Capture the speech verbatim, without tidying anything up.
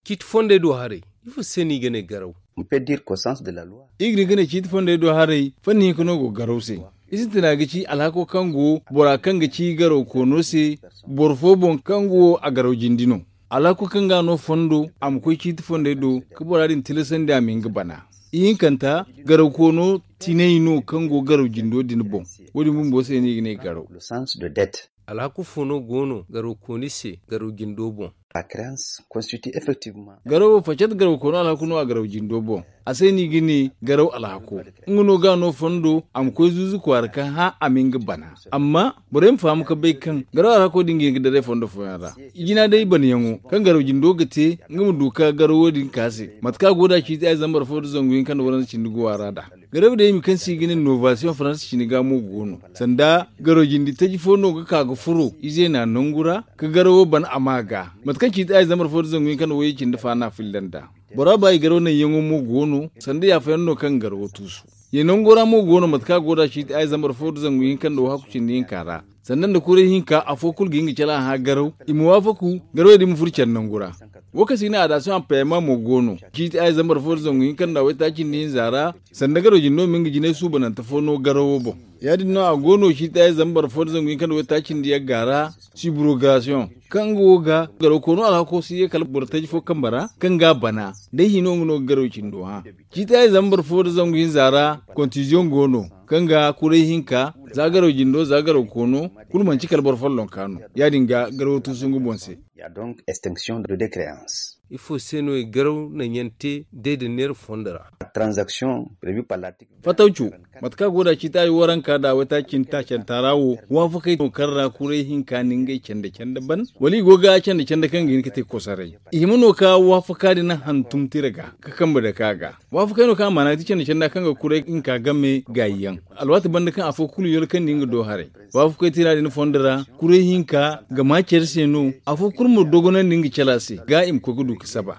Ciiti fondey do haray, ifo se no i ga ne garaw? Iri ga ne ciiti fondey do haray fanni hinka no go garaw se. I sintina ga ci alhako kaŋ go bora kaŋ ga ci garaw koono se, boro fo boŋ kaŋ go a garaw jindi no. Alhako kaŋ ga no fondo a ma koy ciiti fondey do ka bora din tilasandi a ma hin ga bana. Ihinkanta, garaw koono tinay no kaŋ go garaw jindo din boŋ. Wo- din bumbo se no i ga ne garaw. Alhaku fo no go no garaw kooni se garaw jindo boŋ? Garawo facat garaw koono alhaku no a garaw jindo boŋ. A se no i ga ne garaw alhako. Nga no ga no fondo a ma koy zuuzu kwaara ka hã a ma nga bana. Amma borey ma faham ka bay kaŋ garaw alhako din ga hin ga daray fondo fooyaŋ ra. I jina day banayaŋo kaŋ garaw jindo ga te nga ma du ka garawo din ka se mate kaŋ a go da ciiti ay zambar fo da zangu hinka nda waranza cindi go a ra da. Garaw day mi kaŋ se i ga ne novasiyoŋ faransa cini ga mo go no. Sanda garaw jindi taji fo no ga ka ga furo ize na nangu ra ka garawo ban a ma ga mate kaŋ ciiti ay zambar fo da zangu hinka nda wayye cindi fa na filla nda. Bora ba i garaw naŋ yaŋo mo go no. Sanda yaafayaŋ no kaŋ garawo tuusu. Ye nango ra mo go no mate kaŋ a go da ciiti ay zambar fo da zangu hinka nda wahaku cindi hinka ra. Sanda nda kuray hinka afo kulu ga hin ga cala hã garaw i ma waafaku. Garawey din ma furo care nangu ra. Wo kaŋ se i ga ne adasiyoŋ a payama mo go no. Ciiti ay zambar fo da zangu hinka nda waytaaci nda hinza ra. Sanda garaw jindo ma nga jinay suubanante fo no garawo boŋ. Ya- din no a go no ciiti ay zambar fo da zangu hinka nda waytaaci nda yagga ra. Sibrogasiyoŋ kaŋ nga wo ga garaw koono alhako si ye kala boro taji fo kambe ra kaŋ ga a bana. Day hino nga no ga garaw cindo hã. Ciiti ay zambar fo da zangu hinza ra. Kontiziyoŋ go no kaŋ ga kuray hinka za garaw jindo za garaw koono. Kulu manci kala boro follonka no. Ya- din ga garawo tuusu nga boŋ se. Ifo se no i garaw naŋ yaŋ te day da neera fondo ra? Fatawco, mate kaŋ a go da ciiti ay waranka da waytaaci nda taacanta ra wo waafakey no kaŋ ra kuray hinka na ngey canda canda ban? Wala i go ga canda canda kaŋ ga hin ga te kosaray? I hima no ka waafaka din hantum tira ga ka kambe dake a ga. Waafakey no kaŋ a maana ga ti canda canda kaŋ ga kuray hinka game gaayi yaŋ. Alwaati banda kaŋ afo kulu yolkandi nga do haray. Waafakey tira din fondo ra kuray hinka ga ma care se no. Afo kulu ma dogonandi nga cala se ga i ma koy ga du ga saba.